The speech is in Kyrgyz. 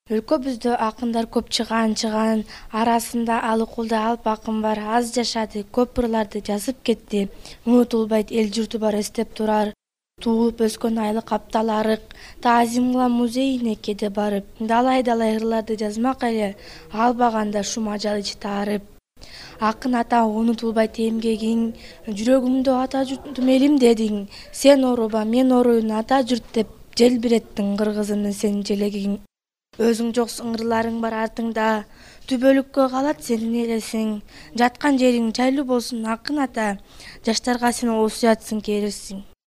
Өлкөбүздө акындар көп чыган арасында Алыкулда Алп акын бар. Аз жашады, көп ырларды жазып кетти. Унутулбайт, эл журту бар эстеп турар. Туулуп өскөн айлык аптал арык, Таазим музейине кээде барып, далай ырларды жазмак эле, албаганда шум ажал ич таарып. Акын ата унутулбайт эмгегиң, жүрөгүмдө ата журтум элим дедиң. Сен ооруба, мен ооруйн ата журт деп, желбиреттиң кыргызымдын сен желегиң. Өзүң жоксуң, ырларың бар артыңда, түбөлүккө калат сенин элесиң. Жаткан жериң жайлуу болсун акын ата, жаштарга сен осуятсың керирсиң.